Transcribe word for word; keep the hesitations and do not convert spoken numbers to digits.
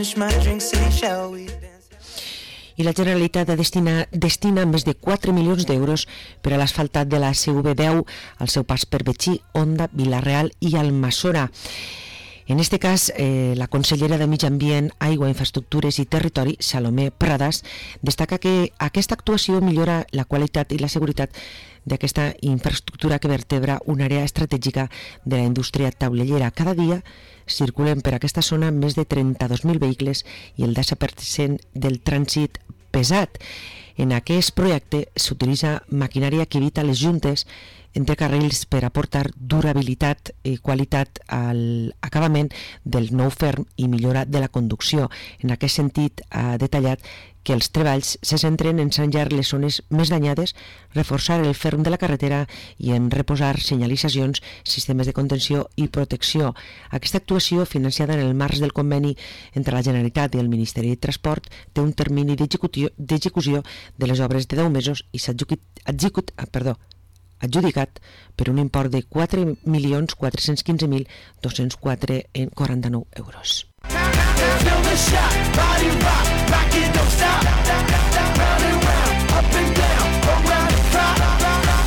finish my drink, say shall we dance? I la Generalitat destina, destina més de quatre milions d'euros per a l'asfaltat de la C V deu al seu pas per Betxí, Onda, Vila-real i Almassora. En este cas, eh, la consellera de Mig Ambient, Aigua, Infraestructures i Territori, Salomé Pradas, destaca que aquesta actuació millora la qualitat i la seguretat d'aquesta infraestructura que vertebra una àrea estratègica de la indústria taulellera. Cada dia circulen per aquesta zona més de trenta-dos mil vehicles i el disset per cent del trànsit pesat. En aquest projecte s'utilitza maquinària que evita les juntes entre carrils per aportar durabilitat i qualitat al acabament del nou ferm i millora de la conducció. En aquest sentit, ha detallat que els treballs se centren en sanjar les zones més danyades, reforçar el ferm de la carretera i en reposar senyalitzacions, sistemes de contenció i protecció. Aquesta actuació, financiada en el marc del conveni entre la Generalitat i el Ministeri de Transport, té un termini d'execució de les obres de deu mesos i s'ha execut, perdó, adjudicat per un import de quatre milions quatre-cents quinze mil dos-cents quatre coma quaranta-nou euros.